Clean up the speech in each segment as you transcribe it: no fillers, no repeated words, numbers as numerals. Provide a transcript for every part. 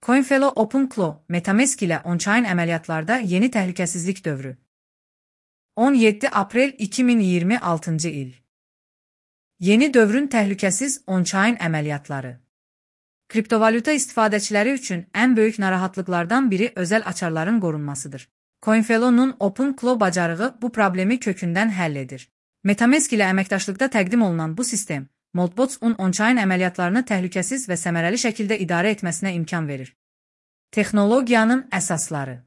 CoinFellow OpenClaw, MetaMask ilə on-chain əməliyyatlarda yeni təhlükəsizlik dövrü. 17 aprel 2026 il. Yeni dövrün təhlükəsiz on-chain əməliyyatları. Kriptovalyuta istifadəçiləri üçün ən böyük narahatlıqlardan biri özəl açarların qorunmasıdır. CoinFellow'nun OpenClaw bacarığı bu problemi kökündən həll edir. MetaMask ilə əməkdaşlıqda təqdim olunan bu sistem, Moltbots'un on-chain əməliyyatlarını təhlükəsiz və səmərəli şəkildə idarə etməsinə imkan verir. Texnologiyanın əsasları.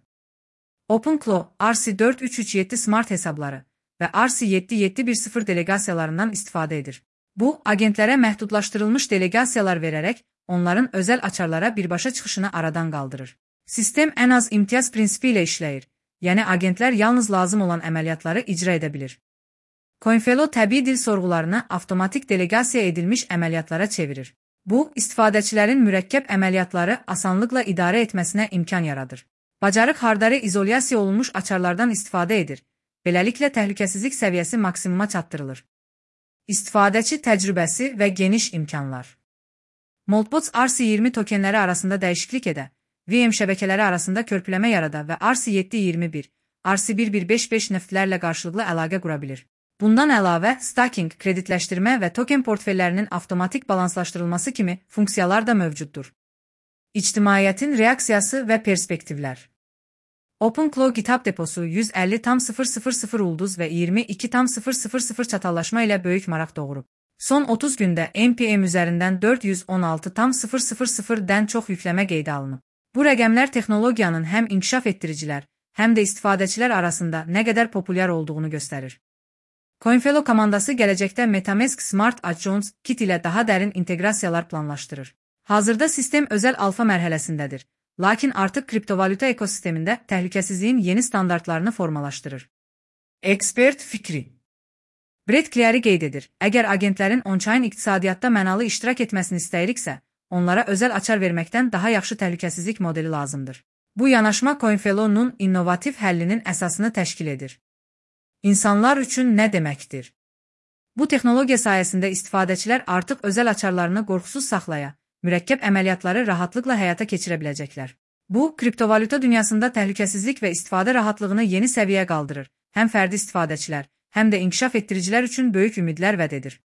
OpenClaw, RC4337 smart hesabları və RC7710 delegasiyalarından istifadə edir. Bu, agentlərə məhdudlaşdırılmış delegasiyalar verərək, onların özəl açarlara birbaşa çıxışını aradan qaldırır. Sistem ən az imtiyaz prinsipi ilə işləyir, yəni agentlər yalnız lazım olan əməliyyatları icra edə bilir. CoinFellow təbii dil sorğularını avtomatik delegasiya edilmiş əməliyyatlara çevirir. Bu, istifadəçilərin mürəkkəb əməliyyatları asanlıqla idarə etməsinə imkan yaradır. Bacarıq hardare izolyasiya olunmuş açarlardan istifadə edir. Beləliklə təhlükəsizlik səviyyəsi maksimuma çatdırılır. İstifadəçi təcrübəsi və geniş imkanlar. Moltbots RC20 tokenləri arasında dəyişiklik edə, VM şəbəkələri arasında körpüləmə yarada və RC721, RC1155 nöftlərlə qarşılıqlı əlaqə qura bilir. Bundan əlavə, staking, kreditləşdirmə və token portfellərinin avtomatik balanslaşdırılması kimi funksiyalar da mövcuddur. İctimaiyyətin reaksiyası və perspektivlər. OpenClaw GitHub deposu 150,000 ulduz və 22,000 çatallaşma ilə böyük maraq doğurub. Son 30 gündə NPM üzərindən 416,000-dən çox yükləmə qeydə alınıb. Bu rəqəmlər texnologiyanın həm inkişaf etdiricilər, həm də istifadəçilər arasında nə qədər populyar olduğunu göstərir. CoinFellow komandası gələcəkdə MetaMask Smart Adjoins kit ilə daha dərin inteqrasiyalar planlaşdırır. Hazırda sistem özəl alfa mərhələsindədir, lakin artıq kriptovalyuta ekosistemində təhlükəsizliyin yeni standartlarını formalaşdırır. Ekspert fikri. Brett Cleary qeyd edir, əgər agentlərin on-chain iqtisadiyyatda mənalı iştirak etməsini istəyiriksə, onlara özəl açar verməkdən daha yaxşı təhlükəsizlik modeli lazımdır. Bu yanaşma CoinFellow'nun innovativ həllinin əsasını təşkil edir. İnsanlar üçün nə deməkdir? Bu texnologiya sayəsində istifadəçilər artıq özəl açarlarını qorxusuz saxlaya, mürəkkəb əməliyyatları rahatlıqla həyata keçirə biləcəklər. Bu, kriptovalyuta dünyasında təhlükəsizlik və istifadə rahatlığını yeni səviyyəyə qaldırır, həm fərdi istifadəçilər, həm də inkişaf etdiricilər üçün böyük ümidlər vəd edir.